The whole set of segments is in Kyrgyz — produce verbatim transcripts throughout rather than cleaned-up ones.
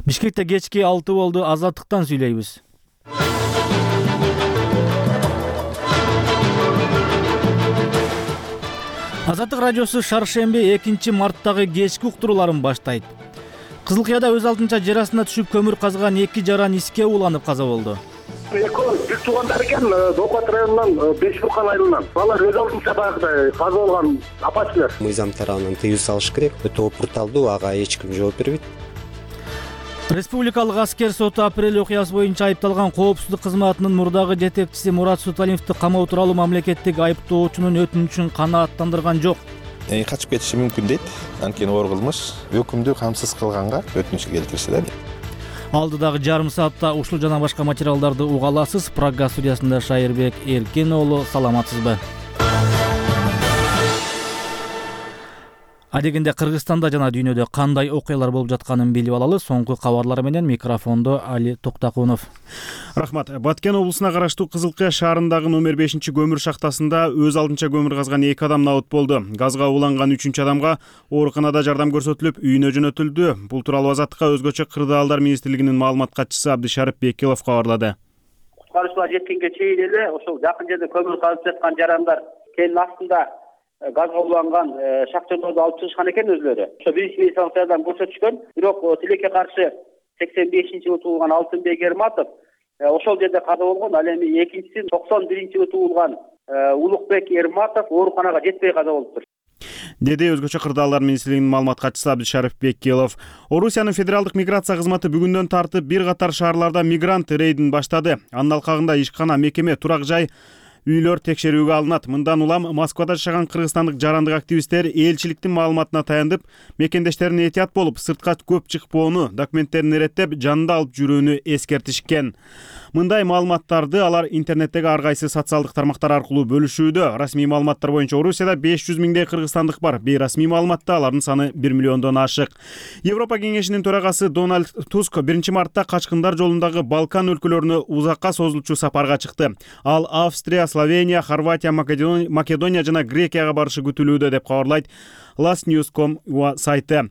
Бишкекте кечки алты болду. Азаттыктан сүйлөйбүз. Азаттык радиосу шаршемби экинчи марттагы кечки уктурууларын баштайт. Кызыл Кыяда өз алдынча жер астына түшүп көмүр казган эки жаран иске уланып каза болду. Экөө бир туугандар экен, Докат районунан Беш Буркан айылынан. Алар өз алдынча баягыдай каза болгон апачылар. Мыйзам тарабынан тыюу салыш керек. Өтө опурталдуу, ага эч ким жооп бербейт. Республикалык аскер соту апрель окуясы боюнча айыпталган коопсуздук кызматынын мурдагы жетекчиси Мурат Суталиновду камоо тууралуу мамлекеттик айыптоочунун өтүнүчүн канааттандырган жок. Качып кетиши мүмкүн дейт. Анткени оор кылмыш өкүмдү камсыз кылганга өтүнүч келтиришти да. Алдыдагы жарым саатта ушул жана башка материалдарды уга аласыз. Прага студиясында Шайырбек Эркен уулу, саламатсызбы? Адегенде Кыргызстанда жана дүйнөдө кандай окуялар болуп жатканын билип алалы. Соңку кабарлар менен микрофондо Али Токтакунов. Рахмат. Баткен облусуна караштуу Кызыл Кыя шаарындагы номер бешинчи көмүр шахтасында өз алдынча көмүр казган эки адам набыт болду. Газга уланган үчүнчү адамга ооруканада жардам көрсөтүлүп, үйүнө жөнөтүлдү. Бул тууралуу Азаттыкка өзгөчө кырдаалдар министрлигинин маалымат катчысы Абдышарып Бекилов кабарлады. Куткаруучулар жеткенге чейин эле ошол жакын жерде көмүр казып жаткан жарандар кенин астында газга уланган шахтерлорду алып чыгышкан экен өзлөрү. Ошо биринчи медициналык жардам көрсөтүшкөн. Бирок тилекке каршы сексен бешинчи жылы туулган Алтынбек Эрматов ошол жерде каза болгон. Ал эми экинчиси токсон биринчи жылы туулган Улукбек Эрматов ооруканага жетпей каза болуптур, деди өзгөчө кырдаалдар министрлигинин маалымат катчысы Абдышарып Бекилов. Орусиянын федералдык миграция кызматы бүгүндөн тартып бир катар шаарларда мигрант рейдин баштады. Анын алкагында ишкана, мекеме, турак жай, үйлөр текшерүүгө алынат. Мындан улам Москвада жашаган кыргызстандык жарандык активисттер элчиликтин маалыматына таянып, мекендештерине этият болуп, сыртка көп чыкпоону, документтерин иреттеп, жанында алып жүрүүнү эскертишкен. Мындай маалыматтарды алар интернеттеги ар кайсы социалдык тармактар аркылуу бөлүшүүдө. Расмий маалыматтар боюнча Орусияда беш жүз миңдей кыргызстандык бар. Бейрасмий маалыматта алардын саны бир миллиондон ашык. Европа кеңешинин төрагасы Дональд Туск биринчи мартта качкындар жолундагы Балкан өлкөлөрүнө узакка созулчу сапарга чыкты. Ал Австрия, Словения, Хорватия, Македония жана Грекияга барышы күтүлүүдө деп кабарлайт Last News точка ком сайты.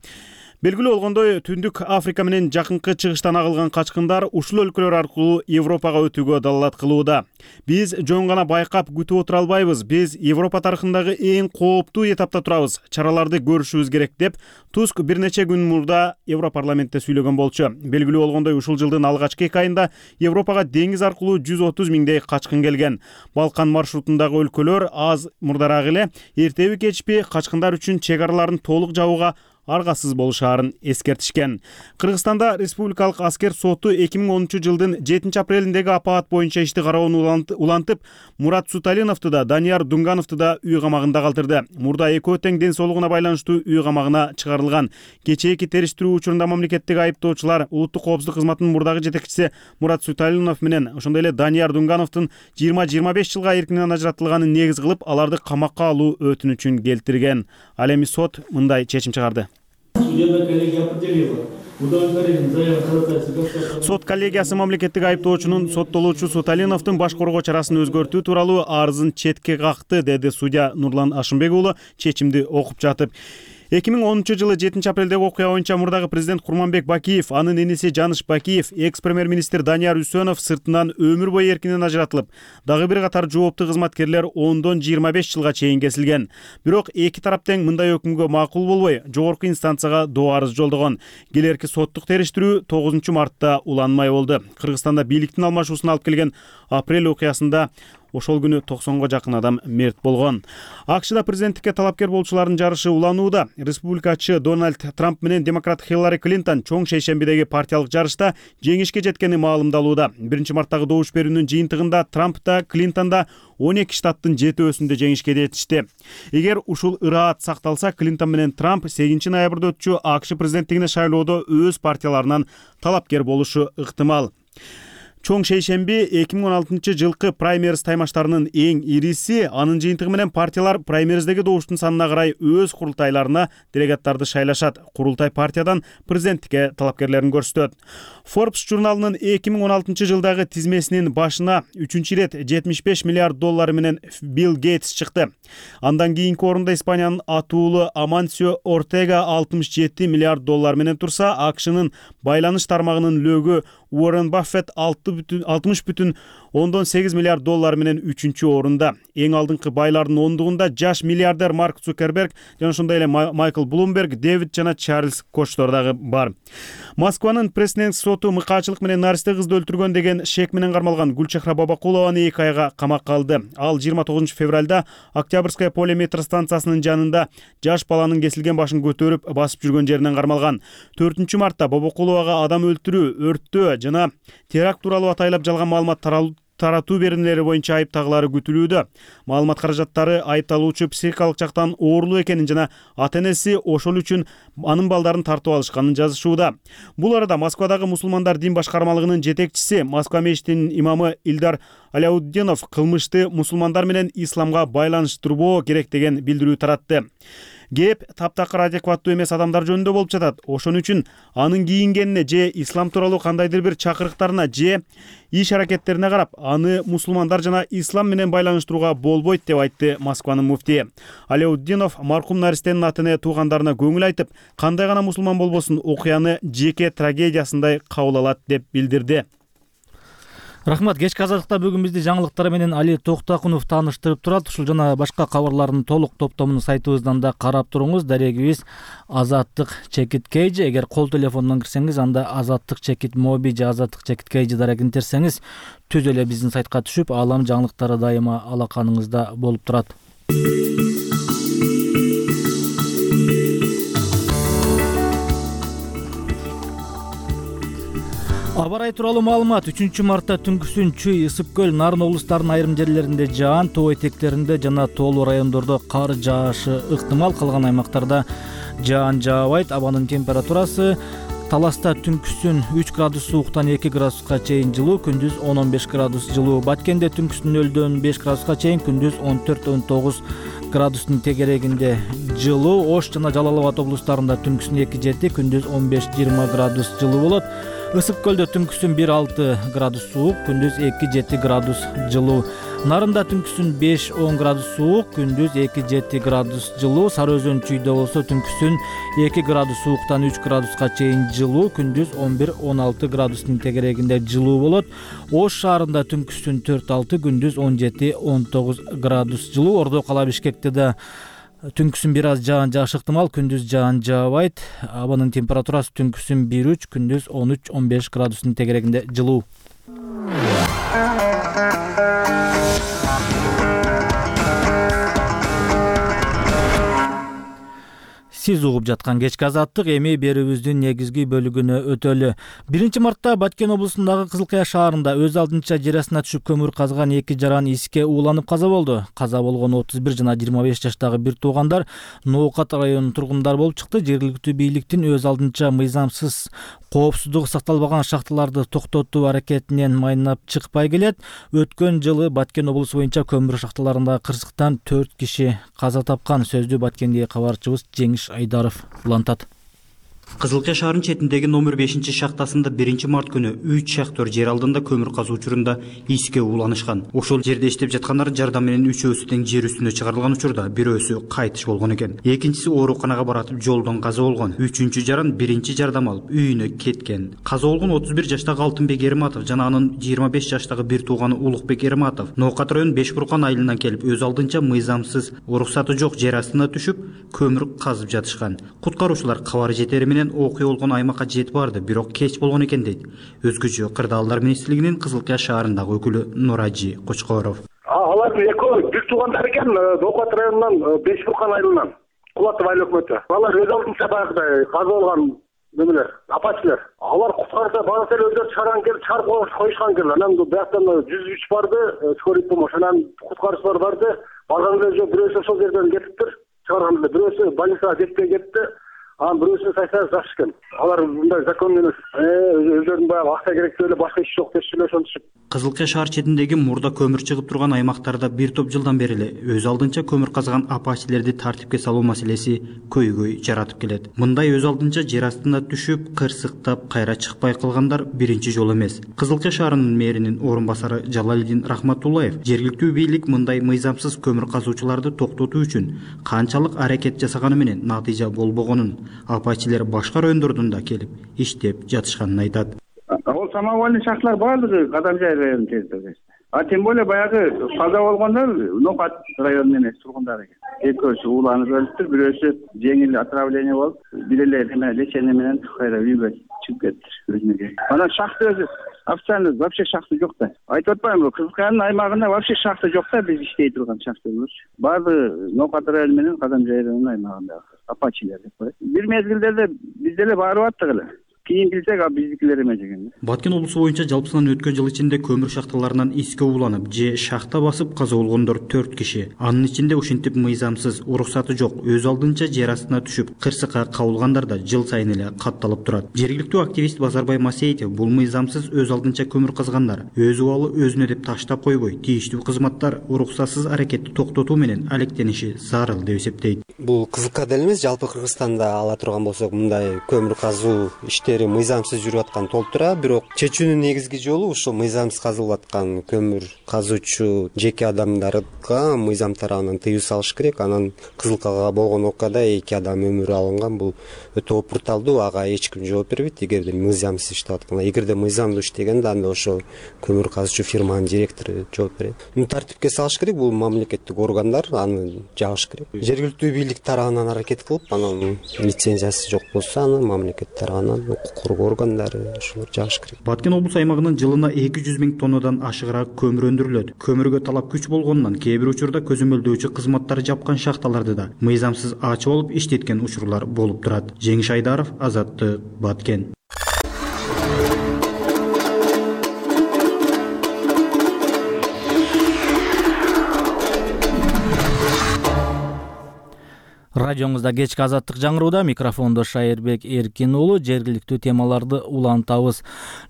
Белгилүү болгондой, Түндүк Африка менен жакынкы чыгыштан агылган качкындар ушул өлкөлөр аркылуу Европага өтүүгө далалат кылууда. Биз жөн гана байкап күтүп отура албайбыз. Биз Европа тарыхындагы эң кооптуу этапта турабыз. Чараларды көрүшүбүз керек деп Туск бир нече күн мурда Европарламентте сүйлөгөн болчу. Белгилүү болгондой, ушул жылдын алгачкы эки айында Европага деңиз аркылуу жүз отуз миңдей качкын келген. Балкан маршрутундагы өлкөлөр аз мурдараак эле эртеби кечпи качкындар үчүн чек араларын толук жабууга аргасыз болушаарын эскертишкен. Кыргызстанда республикалык аскер соту эки миң онунчу жылдын жетинчи апрелиндеги апаат боюнча ишти кароону улантып, Мурат Суталиновду да, Данияр Дунгановду да үй камагында калтырды. Мурда экөө тең ден соолугуна байланыштуу үй камагына чыгарылган. Кечээки териштирүү учурунда мамлекеттик айыптоочулар улуттук коопсуздук кызматынын мурдагы жетекчиси Мурат Суталинов менен ошондой эле Данияр Дунгановдун жыйырма жыйырма беш жылга эркинен ажыратылганын негиз кылып, аларды камакка алуу өтүнүчүн келтирген. Ал эми сот мындай чечим чыгарды. Сот коллегиясы мамлекеттик айыптоочунун соттолуучу Суталиновдун баш коргоо чарасын өзгөртүү тууралуу арызын четке какты, деди судья Нурлан Ашымбек уулу чечимди окуп жатып. эки миң онунчу жылы жетинчи апрелдеги окуя боюнча мурдагы президент Курманбек Бакиев, анын иниси Жаныш Бакиев, экс-премьер-министр Данияр Үсөнов сыртынан өмүр бою эркинен ажыратылып, дагы бир катар жооптуу кызматкерлер ондон жыйырма беш жылга чейин кесилген. Бирок эки тарап тең мындай өкүмгө макул болбой, жогорку инстанцияга доо арыз жолдогон. Келерки соттук териштирүү тогузунчу мартта уланмай болду. Кыргызстанда бийликтин алмашуусуна алып келген апрель окуясында ошол күнү токсонго жакын адам мерт болгон. АКШда президенттикке талапкер болчулардын жарышы уланууда. Республикачы Дональд Трамп менен демократ Хиллари Клинтон чоң шейшембидеги партиялык жарышта жеңишке жеткени маалымдалууда. биринчи марттагы добуш берүүнүн жыйынтыгында Трамп да, Клинтон да он эки штаттын жетөөсүндө жеңишке жетишти. Эгер ушул ыраат сакталса, Клинтон менен Трамп сегизинчи ноябрда өтчү АКШ президенттигине шайлоодо өз партияларынан талапкер болушу ыктымал. Чоң шейшемби эки миң он алтынчы жылкы праймериз таймаштарынын эң ириси. Анын жыйынтыгы менен партиялар праймериздеги добуштун санына карай өз курултайларына делегаттарды шайлашат. Курултай партиядан президенттикке талапкерлерин көрсөтөт. Forbes журналынын эки миң он алтынчы жылдагы тизмесинин башына үчүнчү ирет жетимиш беш миллиард доллар менен Билл Гейтс чыкты. Андан кийинки орунда Испаниянын атуулу Амансио Ортега алтымыш жети миллиард доллар менен турса, АКШнын байланыш тармагынын лөгү Уоррен Баффет алтымыш бүтүн ондон сегиз миллиард доллар менен үчүнчү орунда. Эң алдыңкы байлардын ондугунда жаш миллиардер Марк Цукерберг жана ошондой эле Майкл Блумберг, Дэвид жана Чарльз Кочтор дагы бар. Москванын Пресненс соту мыкаачылык менен наристе кызды өлтүргөн деген шек менен кармалган Гүлчехра Бабакулованы эки айга камакка алды. Ал жыйырма тогузунчу февралда Октябрьская поле метро станциясынын жанында жаш баланын кесилген башын көтөрүп басып жүргөн жеринен кармалган. төртүнчү мартта Бабакуловага адам өлтүрүү, өрттөө жана теракт тууралуу атайлап жалган маалымат таратуу берүүлери боюнча айыптагылары күтүлүүдө. Маалымат каражаттары айыпталуучу психикалык жактан оорулуу экенин жана ата-энеси ошол үчүн анын балдарын тартып алышканын жазышууда. Бул арада Москвадагы мусулмандар дин башкармалыгынын жетекчиси, Москва мечитинин имамы Илдар Аляутдинов кылмышты мусулмандар менен исламга байланыштырбоо керек деген билдирүү таратты. Кеп таптакыр адекваттуу эмес адамдар жөнүндө болуп жатат. Ошон үчүн анын кийингенине же ислам тууралуу кандайдыр бир чакырыктарына же иш аракеттерине карап аны мусулмандар жана ислам менен байланыштырууга болбойт деп айтты Москванын муфтии. Аляутдинов маркум наристенин аты-эне туугандарына көңүл айтып, кандай гана мусулман болбосун окуяны жеке трагедиясындай кабыл алат деп билдирди. Рахмат. Кечки азаттыкта бүгүн бизди жаңылыктар менен Али Токтакунов тааныштырып турат. Ушул жана башка кабарлардын толук топтомун сайтыбыздан да карап туруңуз. Дарегибиз Азаттык чекит кейжи. Эгер кол телефондон кирсеңиз, анда Азаттык чекит моби же Азаттык чекит кейжи дарегин терсеңиз, түз эле биздин сайтка түшүп, аалам жаңылыктары дайыма алаканыңызда болуп турат. Аба ырайы тууралуу маалымат. үчүнчү мартта түнкүсүн Чүй, Ысык көл, Нарын облустарынын айрым жерлеринде жаан, тоо этектеринде жана тоолуу райондордо кар жаашы ыктымал. Калган аймактарда жаан жаабайт. Абанын температурасы Таласта түнкүсүн үч градус сууктан эки градуска чейин жылуу, күндүз он он беш градус жылуу. Баткенде түнкүсүн нөлдөн беш градуска чейин, күндүз он төрт он тогуз градустун тегерегинде жылуу. Ош жана Жалал Абад облустарында түнкүсүн эки жети, күндүз он беш жыйырма градус жылуу болот. Ысык көлдө түнкүсүн бир алты градус суук, күндүз эки жети градус жылуу. Нарында түнкүсүн беш он градус суук, күндүз эки жети градус жылуу. Сары Өзөн Чүйдө болсо түнкүсүн эки градус сууктан үч градуска чейин жылуу, күндүз он бир он алты градустун тегерегинде жылуу болот. Ош шаарында түнкүсүн төрт алты, күндүз он жети он тогуз градус жылуу. Ордо кала Бишкекте да түнкүсүн бир аз жаан жаашы ыктымал, күндүз жаан жаабайт. Абанын температурасы түнкүсүн бир үч, күндүз он үч он беш градустун тегерегинде жылуу. Сиз угуп жаткан кечки азаттык эми берүүбүздүн негизги бөлүгүнө өтөлү. биринчи мартта Баткен облусундагы Кызылкая шаарында өз алдынча жер астына түшүп көмүр казган эки жаран иске ууланып каза болду. Каза болгон отуз бир жана жыйырма беш жаштагы бир туугандар Ноокат районунун тургундары болуп чыкты. Жергиликтүү бийликтин өз алдынча мыйзамсыз коопсуздугу сакталбаган шахталарды токтотуу аракетинен майнап чыкпай келет. Өткөн жылы Баткен облусу боюнча көмүр шахталарындагы кырсыктан төрт киши каза тапкан. Сөздү Баткендеги кабарчыбыз Жеңиш Айдаров улантат. Кызылкая шаарынын четиндеги номер бешинчи шахтасында биринчи март күнү үч шахтер жер алдында көмүр казуу учурунда иске ууланышкан. Ошол жерде иштеп жаткандардын жардамы менен үчөөсү тең жер үстүнө чыгарылган учурда бирөөсү кайтыш болгон экен. Экинчиси ооруканага баратып жолдон каза болгон. Үчүнчү жаран биринчи жардам алып үйүнө кеткен. Каза болгон отуз бир жаштагы Алтынбек Эрматов жана анын жыйырма беш жаштагы бир тууганы Улукбек Эрматов Ноокат районунун Беш Буркан айылынан келип өз алдынча мыйзамсыз уруксаты жок жер астына түшүп көмүр казып жатышкан. Куткаруучулар кабар жетери менен окуя болгон аймакка жетип барды, бирок кеч болгон экен дейт. Өзгөчө Кырдаалдар министрлигинин Кызылкая шаарындагы өкүлү Нуражи Кочкоров. Алардын экөө бир туугандар экен, Ноокат районунан Беш Буркан айылынан. Кулатов айыл өкмөтү. Алар өз алдынча баягыдай каза болгон немелер, апачтар. Алар куткарса баасы эле өздөрү чыгарган келип чыгарып коюшкан келе. Анан бияктан жүз үч барды, скорый помощь, анан куткарычлар барды. Барган эле бирөөсү ошол жерден кетиптир. Чыгарган эле бирөөсү больницага жетпей кетти. анан бирөөсүн сайса жакшы экен. Алар мындай закон эмес. Өздөрүнүн баягы акча керектүү эле башка иш жок дешчү эле ошентишип. Кызылкия шаар четиндеги мурда көмүр чыгып турган аймактарда бир топ жылдан бери эле өз алдынча көмүр казган апачилерди тартипке салуу маселеси көйгөй жаратып келет. Мындай өз алдынча жер астына түшүп, кырсыктап, кайра чыкпай калгандар биринчи жолу эмес. Кызылкия шаарынын мэринин орун басары Жалалидин Рахматуллаев жергиликтүү бийлик мындай мыйзамсыз көмүр казуучуларды токтотуу үчүн канчалык аракет жасаганы менен натыйжа болбогонун, апачилер башка райондордон да келип иштеп жатышканын айтат. Ол самовольный шахталар баардыгы Кадамжай районунун территориясында. А тем более баягы каза болгондор Нокат районунун эмес тургундары экен. Экөөсү ууланып өлүптүр, бирөөсү жеңил отравление болуп, бир эле эме лечение менен кайра үйгө чыгып кетти өзүнө. Анан шахта өзү официально вообще шахта жок да. Айтып атпаймынбы, Кызылкаянын аймагында вообще шахта жок да, биз иштей турган шахталар. Баардыгы Нокат району менен Кадамжай районунун аймагында апачилер деп коет. Бир мезгилдерде биз деле барып аттык эле. Кийин билсек, а биздикилер эме деген. Баткен облусу боюнча жалпысынан өткөн жыл ичинде көмүр шахталарынан иске ууланып же шахта басып каза болгондор төрт киши. Анын ичинде ушинтип мыйзамсыз, уруксаты жок, өз алдынча жер астына түшүп, кырсыкка кабылгандар да жыл сайын эле катталып турат. Жергиликтүү активист Базарбай Масеитов бул мыйзамсыз өз алдынча көмүр казгандар өз убалы өзүнө деп таштап койбой, тийиштүү кызматтар уруксатсыз аракетти токтотуу менен алектениши зарыл деп эсептейт. Бул Кызылкия деле эмес, жалпы Кыргызстанда ала турган болсок, мындай көмүр казуу иштери мыйзамсыз жүрүп аткан толуп турат, бирок чечүүнүн негизги жолу ушул мыйзамсыз казылып аткан көмүр казуучу жеке адамдарга мыйзам тарабынан тыюу салыш керек. Анан Кызылкияга болгон окуяда эки адам өмүрү алынган. Бул өтө опурталдуу, ага эч ким жооп бербейт. Эгерде мыйзамсыз иштеп атканда, эгерде мыйзамдуу иштегенде анда ошол көмүр казуучу фирманын директору жооп берет. Муну тартипке салыш керек, бул мамлекеттик органдар аны жагыш керек. Жергиликтүү бийлик тарабынан аракет кылып, анан лицензиясы жок болсо, аны мамлекет тарабынан укук коргоо органдары ошолор жагыш керек. Баткен облусу аймагынан жылына эки жүз миң тоннадан ашыгыраак көмүр өндүрүлөт. Көмүргө талап күч болгондон кээ бир учурда көзөмөлдөөчү кызматтар жапкан шахталарды да мыйзамсыз ачып алып иштеткен учурлар болуп турат. Жеңиш Айдаров, Азаттык, Баткен. Радиоңузда кечки азаттык жаңырууда, микрофондо Шайырбек Эркин уулу. Жергиликтүү темаларды улантабыз.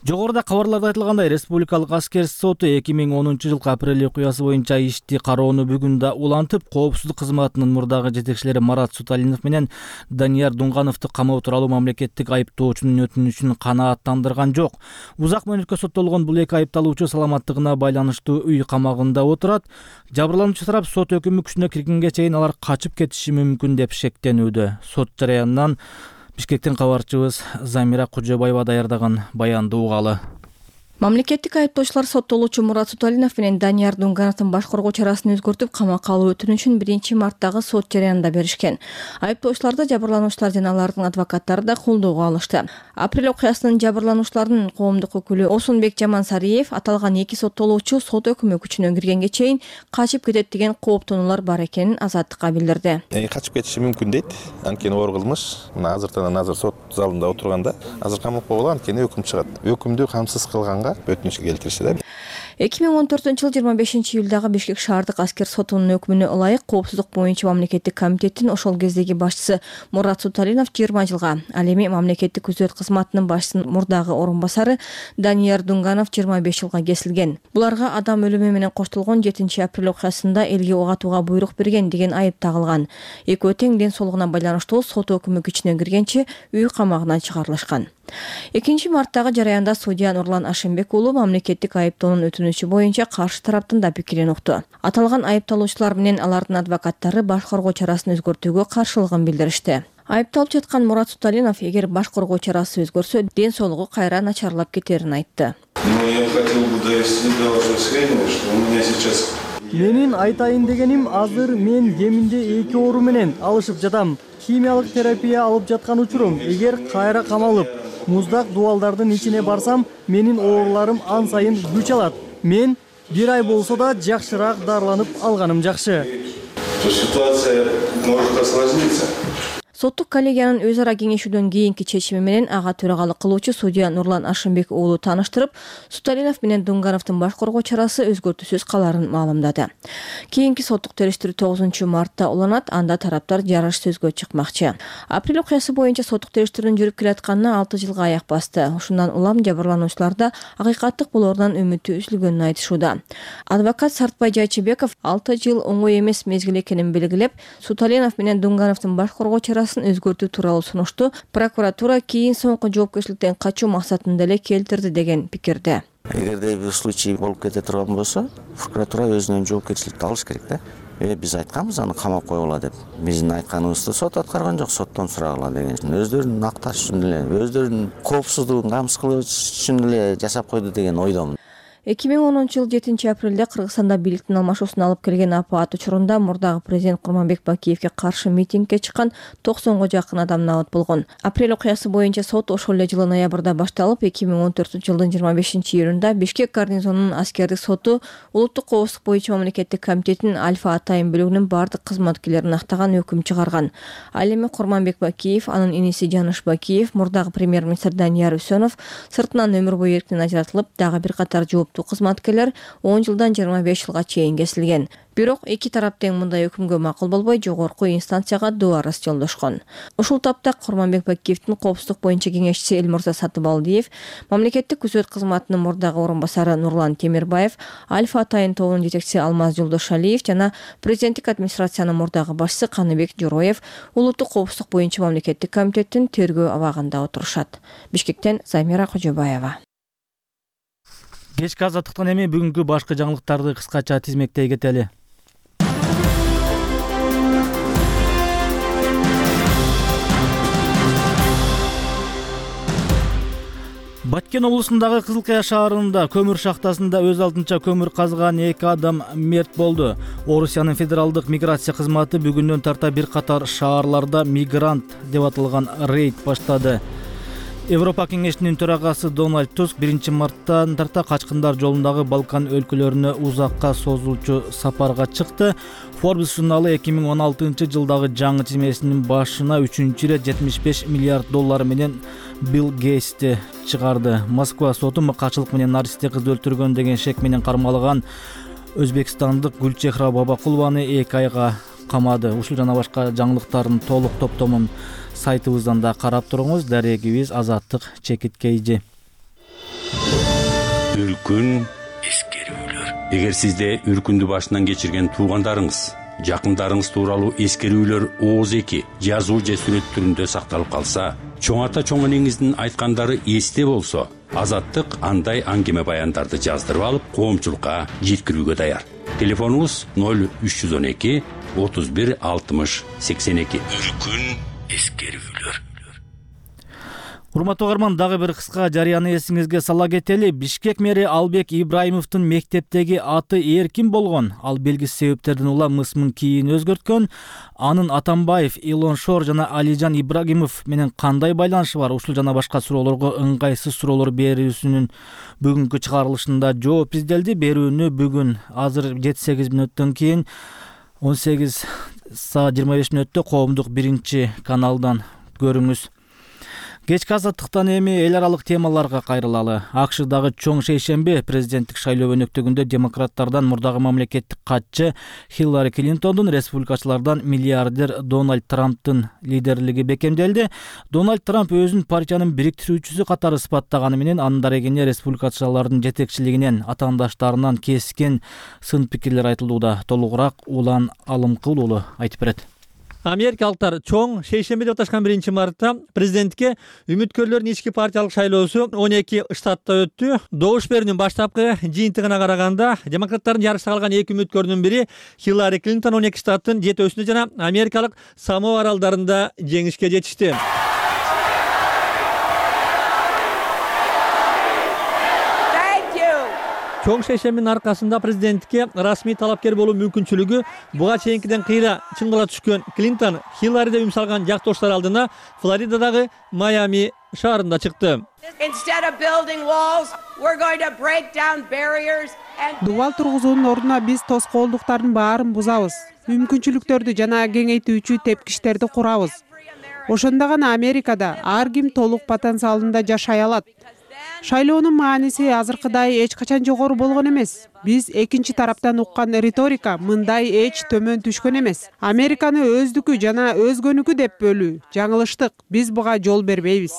Жогоруда кабарларда айтылгандай, Республикалык аскер соту эки миң онунчу жылкы апрель окуясы боюнча ишти кароону бүгүн да улантып, коопсуздук кызматынын мурдагы жетекчилери Марат Суталинов менен Данияр Дунгановду камоо тууралуу мамлекеттик айыптоочунун өтүнүчүн канааттандырган жок. Узак мөөнөткө соттолгон бул эки айыпталуучу саламаттыгына байланыштуу үй камагында отурат. Жабырлануучу тарап сот өкүмү күчүнө киргенге чейин алар качып кетиши мүмкүн деп шектенүүдө. Сот жараянынан Бишкектен кабарчыбыз Замира Кожобаева даярдаган баянды угалы. Мамлекеттик айыптоочулар соттолуучу Мурат Суталинов менен Данияр Дунгановдун баш коргоо чарасын өзгөртүп, камакка алуу өтүнүчүн биринчи марттагы сот жараянында беришкен. Айыптоочуларды жабырлануучулар жана алардын адвокаттары да колдоого алышты. Апрель окуясынын жабырлануучуларынын коомдук өкүлү Осунбек Жамансариев аталган эки соттолуучу сот өкүмү күчүнө киргенге чейин качып кетет деген кооптонуулар бар экенин Азаттыкка билдирди. Качып кетиши мүмкүн дейт. Анткени оор кылмыш. Мына азыртан азыр сот залында отурганда азыр камакка болгон, анткени өкүм чыгат. Өкүмдү камсыз кылганга өтүнүч келтиришти да. эки миң он төртүнчү жыл жыйырма бешинчи июлдагы Бишкек шаардык аскер сотунун өкүмүнө ылайык коопсуздук боюнча мамлекеттик комитеттин ошол кездеги башчысы Мурат Суталинов жыйырма жылга, ал эми мамлекеттик күзөт кызматынын башчысынын мурдагы орун басары Данияр Дунганов жыйырма беш жылга кесилген. Буларга адам өлүмү менен коштолгон жетинчи апрель окуясында элге ок атууга буйрук берген деген айып тагылган. Экөө тең ден соолугуна байланыштуу сот өкүмү күчүнө киргенче үй камагынан чыгарылышкан. экинчи марттагы жараянда судья Нурлан Ашимбек уулу мамлекеттик айыптоонун өтүнүчү боюнча каршы тараптын да пикирин укту. Аталган айыпталуучулар менен алардын адвокаттары баш коргоо чарасын өзгөртүүгө каршылыгын билдиришти. Айыпталып жаткан Мурат Суталинов эгер баш коргоо чарасы өзгөрсө, ден соолугу кайра начарлап кетерин айтты. Менин айтайын дегеним, азыр мен кеминде эки оору менен алышып жатам. Химиялык терапия алып жаткан учурум. Эгер кайра камалып, муздак дубалдардын ичине барсам, менин ооруларым ан сайын күч алат. Мен бир ай болсо да жакшыраак дарыланып алганым жакшы. Ситуация может осложниться. Соттук коллегиянын өз ара кеңешүүдөн кийинки чечими менен ага төрагалык кылуучу судья Нурлан Ашимбек уулу тааныштырып, Суталинов менен Дунгановдун баш коргоо чарасы өзгөртүүсүз каларын маалымдады. Кийинки соттук териштирүү тогузунчу мартта уланат, анда тараптар жарыш сөзгө чыкмакчы. Апрель окуясы боюнча соттук териштирүүнүн жүрүп келатканына алты жылга аяк басты. Ушундан улам жабырлануучуларда акыйкаттык болоорунан үмүтү үзүлгөнүн айтышууда. Адвокат Сартбай Жайчыбеков алты жыл оңой эмес мезгил экенин белгилеп, Суталинов менен Дунгановдун баш коргоо чарасын өзгөртүү тууралуу сунушту прокуратура кийин соңку жоопкерчиликтен качуу максатында эле келтирди деген пикирде. Эгерде бир случай болуп кете турган болсо, прокуратура өзүнүн жоопкерчиликти алыш керек да. Э биз айтканбыз аны камап койгула деп. Биздин айтканыбызды сот аткарган жок, соттон сурагыла деген. Өздөрүнүн акташ үчүн эле, өздөрүнүн коопсуздугун камсыз кылыш үчүн эле жасап койду деген ойдомун. эки миң онунчу жыл жетинчи апрелде Кыргызстанда бийликтин алмашуусуна алып келген апаат учурунда мурдагы президент Курманбек Бакиевге каршы митингге чыккан токсонго жакын адам набыт болгон. Апрель окуясы боюнча сот ошол эле жылы ноябрда башталып, эки миң он төртүнчү жылдын жыйырма бешинчи июнунда Бишкек гарнизонунун аскердик соту Улуттук коопсуздук боюнча мамлекеттик комитетинин Альфа Атайын бөлүгүнүн бардык кызматкерлерин актаган өкүм чыгарган. Ал эми Курманбек Бакиев, анын иниси Жаныш Бакиев, мурдагы премьер-министр Данияр Үсөнов сыртынан өмүр бою эрктен ажыратылып, дагы бир катар жооптуу кызматкерлер он жылдан жыйырма беш жылга чейин кесилген. Бирок эки тарап тең мындай өкүмгө макул болбой, жогорку инстанцияга доо арыз жолдошкон. Ушул тапта Курманбек Бакиевдин коопсуздук боюнча кеңешчиси Элмурза Сатыбалдиев, мамлекеттик күзөт кызматынын мурдагы орун басары Нурлан Темирбаев, Альфа Атайын тобунун жетекчиси Алмаз Жолдошалиев жана президенттик администрациянын мурдагы башчысы Каныбек Жороев Улуттук коопсуздук боюнча мамлекеттик комитеттин тергөө абагында отурушат. Бишкектен Замира Кожобаева. Кечки азаттыктан эми бүгүнкү башкы жаңылыктарды кыскача тизмектей кетели. Баткен облусундагы Кызылкая шаарында көмүр шахтасында өз алдынча көмүр казган эки адам мерт болду. Орусиянын федералдык миграция кызматы бүгүндөн тарта бир катар шаарларда мигрант деп аталган рейд баштады. Европа кеңешинин төрагасы Дональд Туск биринчи марттан тарта качкындар жолундагы Балкан өлкөлөрүнө узакка созулчу сапарга чыкты. Forbes журналы эки миң он алтынчы жылдагы жаңы тизмесинин башына үчүнчү ирет жетимиш беш миллиард доллар менен Билл Гейтсти чыгарды. Москва соту мыкачылык менен наристе кыз өлтүргөн деген шек менен кармалган өзбекстандык Гүлчехра Бабакулованы эки айга камады. Ушул жана башка жаңылыктардын толук топтомун сайтыбыздан да карап туруңуз. Дарегибиз Азаттык Чекиткейжи. Үркүн эскерүүлөр. Эгер сизде үркүндү башынан кечирген туугандарыңыз, жакындарыңыз тууралуу эскерүүлөр ооз эки жазуу же сүрөт түрүндө сакталып калса, чоң ата чоң энеңиздин айткандары эсте болсо, Азаттык андай аңгеме баяндарды жаздырып алып, коомчулукка жеткирүүгө даяр. Телефонубуз ноль үч жүз он эки отуз бир алтымыш сексен эки. Үркүн эскерүүлөр. Урматтуу угарман, дагы бир кыска жарыяны эсиңизге сала кетели. Бишкек мэри Албек Ибраимовдун мектептеги аты эркин болгон. Ал белгисиз себептерден улам ысмын кийин өзгөрткөн. Анын Атамбаев, Илон Шор жана Алижан Ибрагимов менен кандай байланышы бар? Ушул жана башка суроолорго ыңгайсыз суроолор берүүсүнүн бүгүнкү чыгарылышында жооп изделди. Берүүнү бүгүн азыр жети сегиз мүнөттөн кийин он сегиз саат жыйырма беш мүнөттө коомдук биринчи каналдан көрүңүз. Кечки азаттыктан эми эл аралык темаларга кайрылалы. АКШдагы чоң шейшемби президенттик шайлоо өнөктөгүндө демократтардан мурдагы мамлекеттик катчы Хиллари Клинтондун, республикачылардан миллиардер Дональд Трамптын лидерлиги бекемделди. Дональд Трамп өзүн партиянын бириктирүүчүсү катары сыпаттаганы менен анын дарегине республикачылардын жетекчилигинен, атаандаштарынан кескен сын пикирлер айтылууда. Толугураак Улан Алымкул уулу айтып берет. Америкалыктар чоң шейшемби деп аташкан биринчи мартта президентке үмүткөрлөрдүн ички партиялык шайлоосу он эки штатта өттү. Добуш берүүнүн баштапкы жыйынтыгына караганда демократтардын жарышта калган эки үмүткөрүнүн бири Хиллари Клинтон он эки штаттын жетөөсүндө жана америкалык Самоа аралдарында жеңишке жетишти. Чоң шейшембинин аркасында президентке расмий талапкер болуу мүмкүнчүлүгү буга чейинкиден кыйра чыңгала түшкөн Клинтон Хиллариде үн салган жактоштор алдына Флоридадагы Майами шаарында чыкты. Дубал тургузуунун ордуна биз тоскоолдуктардын баарын бузабыз. Мүмкүнчүлүктөрдү жана кеңейтүүчү тепкичтерди курабыз. Ошондо гана Америкада ар ким толук потенциалында жашай алат. Шайлоонун мааниси азыркыдай эч качан жогору болгон эмес. Биз экинчи тараптан уккан риторика мындай эч төмөн түшкөн эмес. Американы өздүкү жана өзгөнүкү деп бөлүү жаңылыштык. Биз буга жол бербейбиз.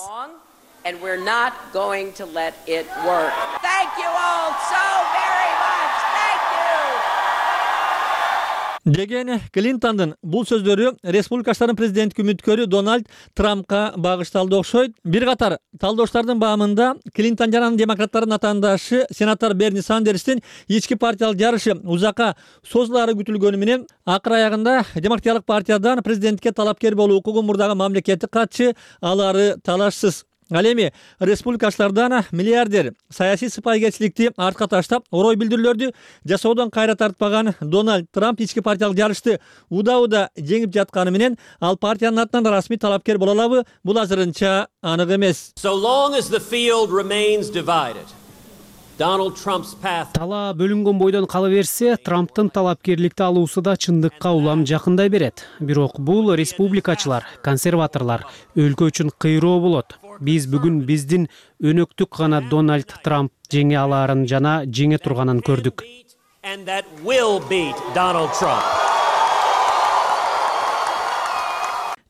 And we're not going to let it work. Thank you all so very much. Thank you. Деген Клинтондун бул сөздөрү республикачылардын президенттик үмүткөрү Дональд Трампка багышталды окшойт. Бир катар талдооштардын баамында Клинтон жана демократтардын атаандашы сенатор Берни Сандерстин ички партиялык жарышы узакка созулаары күтүлгөнү менен акыр аягында демократиялык партиядан президентке талапкер болуу укугу мурдагы мамлекеттик катчы алары талашсыз. Ал эми республикачылардан миллиардер саясий сыпайкечиликти артка таштап, орой билдирүүлөрдү жасоодон кайра тартпаган Дональд Трамп ички партиялык жарышты уда-уда жеңип жатканы менен ал партиянын атынан расмий талапкер боло алабы? Бул азырынча анык эмес. So long as the field remains divided, Donald Trump's path. Талаа бөлүнгөн бойдон кала берсе, Трамптын талапкерликти алуусу да чындыкка улам жакындай берет. Бирок бул республикачылар, консерваторлор өлкө үчүн кыйроо болот. Биз бүгүн биздин өнөктүк гана Дональд Трамп жеңе алаарын жана жеңе турганын көрдүк. And that will beat Donald Trump.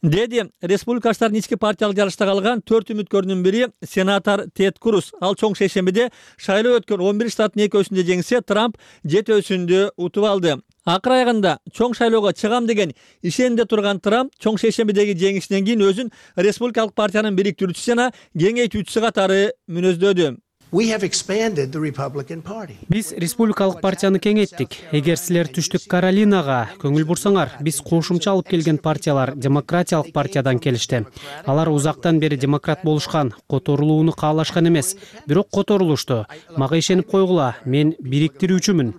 Деди республикачылардын ички партиялык жарышта калган төрт үмүткөрдүн бири сенатор Тед Круз. Ал чоң шейшембиде шайлоо өткөн он бир штаттын экөөсүндө жеңсе, Трамп жетөөсүндө утуп алды. Акыр аягында чоң шайлоого чыгам деген ишенде турган Трамп чоң шейшембидеги жеңишинен кийин өзүн республикалык партиянын бириктирүүчүсү жана кеңейтүүчүсү катары мүнөздөдү. We have expanded the Republican Party. Биз республикалык партияны кеңейттик. Эгер силер Түштүк Каролинага көңүл бурсаңар, биз кошумча алып келген партиялар демократиялык партиядан келишти. Алар узактан бери демократ болушкан, которулууну каалашкан эмес, бирок которулушту. Мага ишенип койгула, мен бириктирүүчүмүн.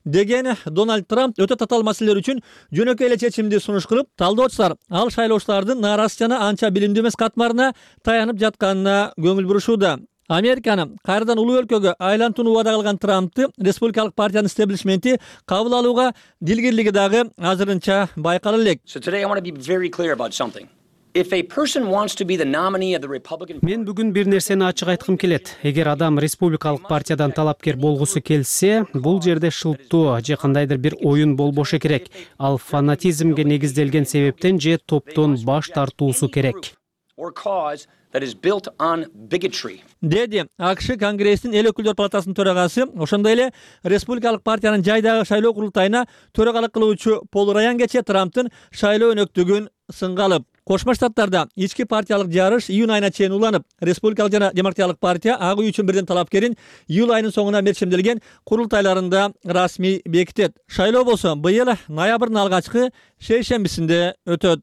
Деген Дональд Трамп өтө татаал маселелер үчүн жөнөкөй эле чечимди сунуш кылып, талдоочулар ал шайлоочулардын нааразы жана анча билимдүү эмес катмарына таянып жатканына көңүл бурушууда. Американы кайрадан улуу өлкөгө айлантууну убада кылган Трампты республикалык партиянын стеблишменти кабыл алууга дилгирлиги дагы азырынча байкала элек. So today I want to be very clear about something. If a person wants to be the nominee of the Republican Мен бүгүн бир нерсени ачык айткым келет. Эгер адам республикалык партиядан талапкер болгусу келсе, бул жерде шылттоо же кандайдыр бир оюн болбошу керек. Ал фанатизмге негизделген себептен же топтон баш тартуусу керек. or cause that is built on bigotry. Деди АКШ Конгресстин эл өкүлдөр палатасынын төрагасы, ошондой эле республикалык партиянын жайдагы шайлоо курултайына төрагалык кылуучу Пол Раян кечээ Трамптын шайлоо өнөктүгүн сынга алып, Кошмо Штаттарда ички партиялык жарыш июнь айына чейин уланып, республикалык жана демократиялык партия ак үй үчүн бирден талапкерин июль айынын соңуна мерчемделген курултайларында расмий бекитет. Шайлоо болсо быйыл ноябрдын алгачкы шейшембисинде өтөт.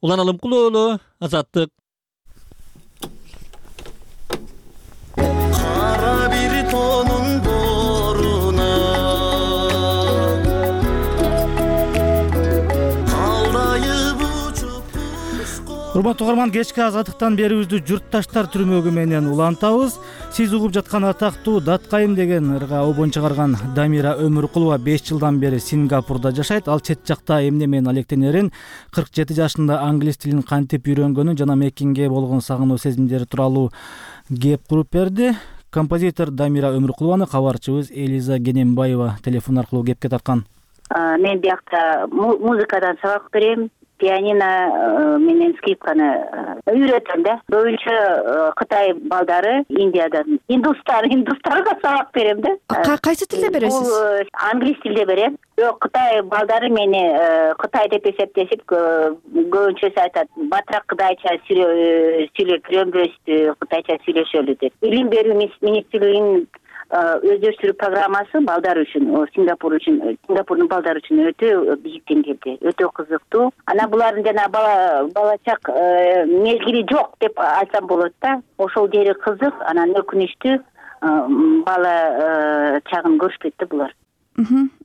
Улан Алымкулуу уулу, Азаттык. Кара бир тонун боруна алдайып учуп. Урматтуу угарман, кечки азаттыктан берүүбүздү журтташтар түрмөгү менен улантабыз. Сиз угуп жаткан атактуу Даткайым деген ырга обон чыгарган Дамира Өмүркулова беш жылдан бери Сингапурда жашайт. Ал чет жакта эмне менен алектенерин, кырк жети жашында англис тилин кантип үйрөнгөнүн жана Меккинге болгон сагынуу сезимдери тууралуу кеп куруп берди. Композитор Дамира Өмүркулованы кабарчыбыз Элиза Генембаева телефон аркылуу кепке тарткан. Мен биякта музыкадан сабак берем, пианино менен скрипканы үйрөтөм да. Көбүнчө Кытай балдары, Индиядан, индустар, индустарга сабак берем да. Кайсы тилде бересиз? Англис тилде берем. Бирок Кытай балдары мени Кытай деп эсептешип, көбүнчөсү айтат, батыраак кытайча сүйлөп жүрөмбүз, кытайча сүйлөшөлү деп. Билим берүү министрлигинин өздөштүрүү программасы балдар үчүн, Сингапур үчүн, Сингапурдун балдары үчүн өтө бийик деңгээлде, өтө кызыктуу. Анан булардын жана бала балачак мезгили жок деп айтсам болот да. Ошол жери кызык, анан өкүнүчтүү бала чагын көрүшпөйт да булар.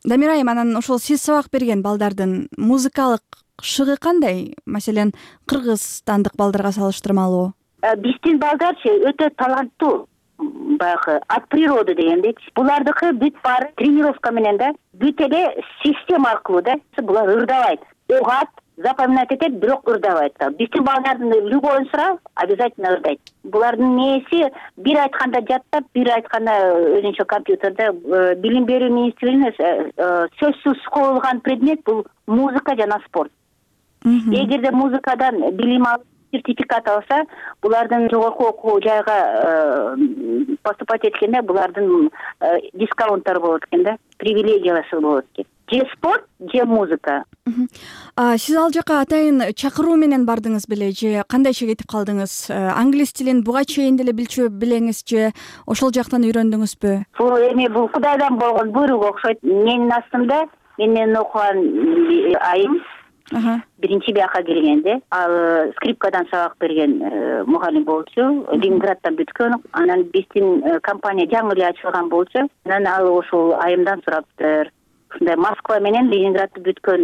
Дамира айым, анан ошол сиз сабак берген балдардын музыкалык шыгы кандай? Маселен, кыргызстандык балдарга салыштырмалуу? Биздин балдарчы өтө таланттуу. Баягы от природы дегендейчи. Булардыкы бүт баары тренировка менен да, бүт эле система аркылуу да. Булар ырдабайт, угат, запоминать этет, бирок ырдабайт. Биздин балдардын любойун сура, обязательно ырдайт. Булардын нээси бир айтканда жаттап, бир айтканда өзүнчө компьютерде. Билим берүү министрлигине сөзсүз коюлган предмет бул музыка жана спорт. Эгерде музыкадан билим алып сертификат алса, булардын жогорку окуу жайга поступать эткенде булардын дискаунттары болот экен да, привилегиялары болот экен. Же спорт, же музыка. Сиз ал жака атайын чакыруу менен бардыңыз беле же кандайча кетип калдыңыз? Англис тилин буга чейин деле билчү белеңиз же ошол жактан үйрөндүңүзбү? Бул эми бул Кудайдан болгон буйрук окшойт. Менин астымда мен менен окуган айым биринчи бияка келгенде ал скрипкадан сабак берген мугалим болчу, Ленинграддан бүткөн. Анан биздин компания жаңы эле ачылган болчу. Анан ал ошол айымдан сураптыр. Ушундай Москва менен Ленинградты бүткөн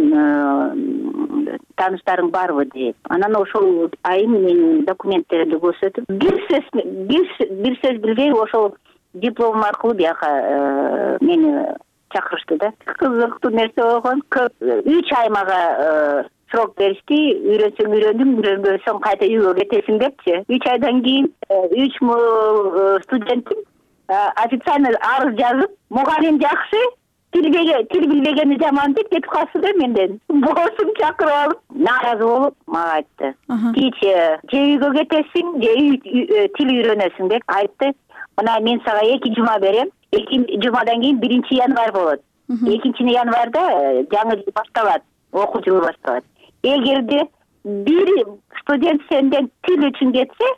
тааныштарың барбы деп. Анан ошол айым менин документтеримди көрсөтүп, бир сөз бир сөз билбей ошол дипломум аркылуу бияка мени чакырышты да. Кызыктуу нерсе болгон. үч ай мага срок беришти. Үйрөнсөң үйрөндүм, үйрөнбөсөң кайта үйгө кетесиң депчи. үч айдан кийин үч студенттим официально арыз жазып, мугалим жакшы, тил билбегени жаман деп кетип калсы да менден. Боссум чакырып алып, нааразы болуп мага айтты. Тич, же үйгө кетесиң, же тил үйрөнөсүң деп айтты. Мына мен сага эки жума берем. Эки жумадан кийин биринчи январь болот. Экинчи январда жаңы жыл башталат, окуу жылы башталат. Эгерде бир студент сенден тил үчүн кетсе,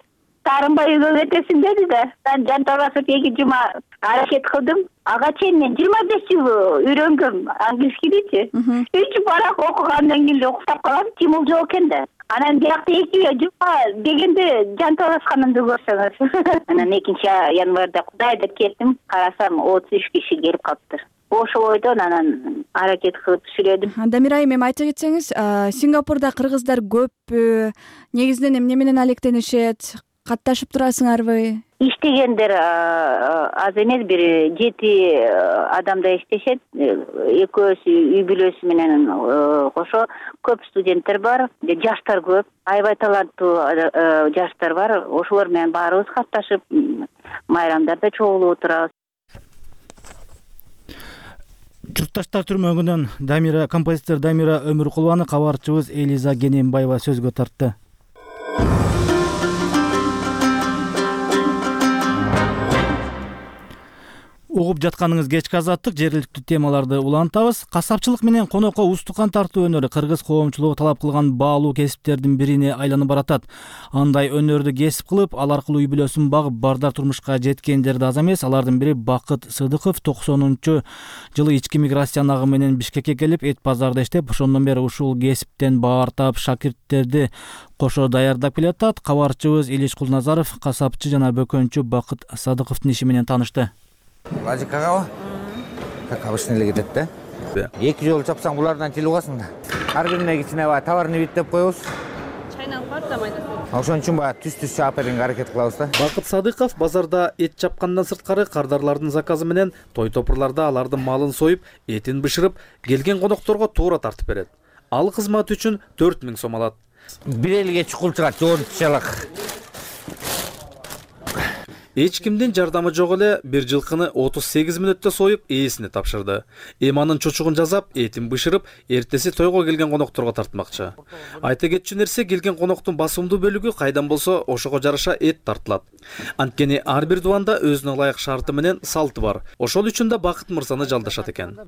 таарынбай үйгө кетесиң деди да. Мен жанталашып эки жума аракет кылдым. Ага чейин мен жыйырма беш жыл үйрөнгөм англискийдичи. Үч барак окугандан кийин уктап калам, тимул жок экен да. Анан биякта эки жума дегенде жанталашканымды көрсөңүз. Анан экинчи январда Кудай деп кеттим, карасам отуз үч киши келип калыптыр. Ошол ойдон анан аракет кылып сүйлөдүм. Дамир айым, эми айта кетсеңиз, Сингапурда кыргыздар көппү? Негизинен эмне менен алектенишет? Катташып турасыңарбы? Иштегендер аз эмес, бир жети адамда иштешет. Экөөсү үй бүлөсү менен кошо көп студенттер бар, жаштар көп, аябай таланттуу жаштар бар. Ошолор менен баарыбыз катташып, майрамдарда чогулуп отурабыз. Журтташтар түрмөгүнөн Дамира композитор Дамира Өмүркулованы кабарчыбыз Элиза Генембаева сөзгө тартты. Угуп жатканыңыз кечки азаттык, жергиликтүү темаларды улантабыз. Касапчылык менен конокко устукан тартуу өнөрү кыргыз коомчулугу талап кылган баалуу кесиптердин бирине айланып баратат. Андай өнөрдү кесип кылып, ал аркылуу үй бүлөсүн багып, бардар турмушка жеткендер да аз эмес. Алардын бири Бакыт Сыдыков токсонунчу жылы ички миграция агымы менен Бишкекке келип, эт базарда иштеп, ошондон бери ушул кесиптен баар таап, шакирттерди кошо даярдап келатат. Кабарчыбыз Илиш Кулназаров касапчы жана бөкөнчү Бакыт Садыковдун иши менен таанышты. Логикага как обычно эле кетет да. Эки жолу чапсаң булардан тил угасың да. Ар бирине кичине баягы товарный вид деп коебуз. Чайнап бар да майда. Ошон үчүн баягы түз-түз чаап берүүгө аракет кылабыз да. Бакыт Садыков базарда эт чапкандан сырткары кардарлардын заказы менен той топурларда алардын малын союп, этин бышырып, келген конокторго туура тартып берет. Ал кызмат үчүн төрт миң сом алат. Бир элге чукул чыгат, жоончалык. Эч кимдин жардамы жок эле бир жылкыны отуз сегиз мүнөттө союп, ээсине тапшырды. Эми анын чочугун жасап, этин бышырып, эртеси тойго келген конокторго тартмакчы. Айта кетчү нерсе, келген коноктун басымдуу бөлүгү кайдан болсо ошого жараша эт тартылат. Анткени ар бир дубанда өзүнө ылайык шарты менен салты бар. Ошол үчүн да Бакыт мырзаны жалдашат экен.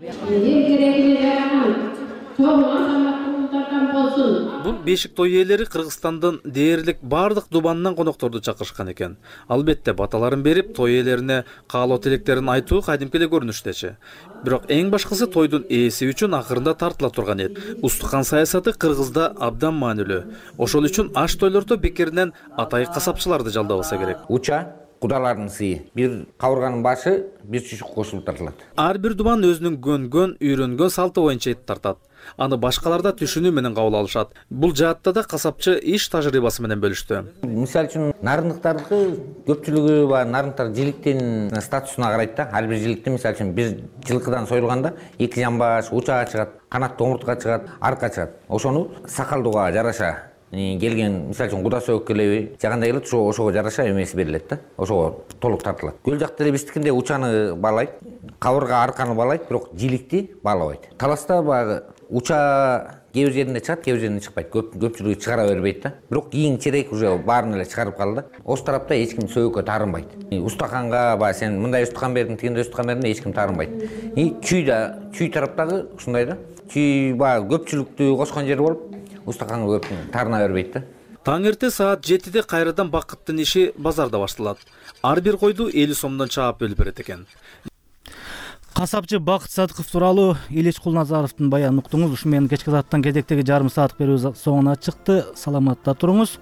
Бул бешик той ээлери Кыргызстандын дээрлик бардык дубанынан конокторду чакырышкан экен. Албетте баталарын берип, той ээлерине каалоо тилектерин айтуу кадимки эле көрүнүштечи. Бирок эң башкысы тойдун ээси үчүн акырында тартыла турган эт. Устукан саясаты Кыргызда абдан маанилүү. Ошол үчүн аш тойлордо бекеринен атайык касапчыларды жалдабаса керек. Уча кудалардын сыйы. Бир кабырганын башы бир чучук кошулуп тартылат. Ар бир дубан өзүнүн көнгөн, үйрөнгөн салты боюнча эт тартат. аны башкалар да түшүнүү менен кабыл алышат. Бул жаатта да касапчы иш тажрыйбасы менен бөлүштү. Мисалы үчүн нарындыктардыкы көпчүлүгү баягы нарындыктар жиликтин статусуна карайт да. Ар бир жиликте мисалы үчүн бир жылкыдан союлганда эки жамбаш, уча чыгат, канаттуу омуртка чыгат, арка чыгат. Ошону сакалдууга жараша келген, мисалы үчүн куда сөөк келеби жагандай келет, ошо ошого жараша эмеси берилет да. Ошого толук тартылат. Көл жакта эле биздикинде учаны баалайт, кабырга арканы баалайт, бирок жиликти баалабайт. Таласта баягы уча кээ бир жеринде чыгат, кээ бир жеринде чыкпайт. Көп көпчүлүгү чыгара бербейт да. Бирок кийин черек уже баарын эле чыгарып калды. Ош тарапта эч ким сөөккө таарынбайт. Устаканга баягы сен мындай устакан бердиң, тигиндей устакан бердиң, эч ким таарынбайт. И чүй да, чүй тараптагы ушундай да. Чүй баягы көпчүлүктү кошкон жер болуп, устаканга көп таарына бербейт да. Таң эрте саат жетиде кайрадан бакыттын иши базарда башталат. Ар бир койду элүү сомдон чаап бөлүп берет экен. Касапчы Бакыт Садыков тууралуу Илич Кулназаровдун баянын уктуңуз. Ушу менен кечки сааттан кезектеги жарым саат берүүбүз соңуна чыкты. Саламатта туруңуз.